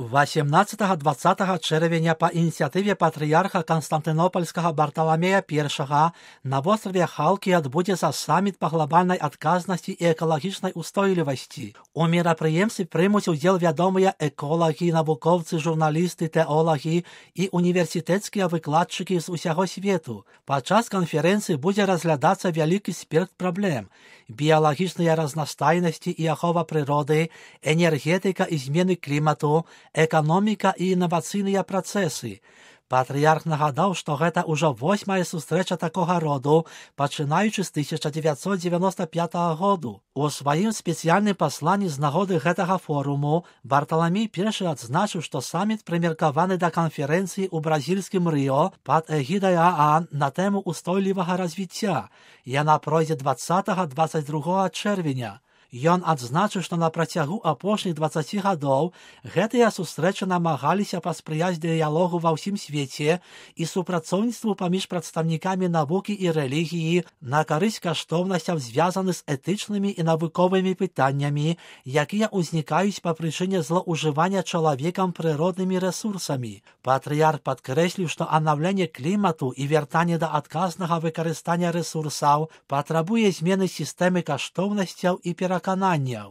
18-20 чэрвеня па ініцыятыве патрыярха Канстантынопольскага Барталамея I на востраве Халкі адбудзецца саміт па глобальнай адказнасці і экалагічнай устойлівасці. У мерапрыемстве прымуць удзел вядомыя эколагі, навукоўцы, журналісты, тэолагі і універсітэцкія выкладчыкі з усяго свету. Падчас канферэнцыі будзе разглядацца вялікі спектр праблем: біялагічныя разнастайнасці і ахова прыроды, энергетыка і змены клімату, эканоміка і інавацыйныя працэсы. Патрыярх нагадаў, што гэта ўжо 8-я сустрэча такога роду, пачынаючы з 1995 году. У сваім спецыяльным пасланні з нагоды гэтага форуму Барталамей I адзначыў, што саміт прымеркаваны да канферэнцыі ў бразільскім Рыо пад эгідай ААН на тэму устойлівага развіцця. Яна пройдзе 20-22 чэрвеня. Ён адзначыў, што на працягу апошніх 20 гадоў гэтыя сустрэчы намагаліся паспрыяць дыялогу ва ўсім свеце і супрацоўніцтву паміж прадстаўнікамі навукі і рэлігіі на карысць каштоўнасцяў, звязаных з этычнымі і навуковымі пытаннямі, якія ўзнікаюць па прычыне злоўжывання чалавекам прыроднымі рэсурсамі. Патрыярх падкрэсліў, што аднаўленне клімату і вяртанне да адказнага выкарыстання рэсурсаў патрабуе змены сістэмы каштоўнасцяў і перакананняў.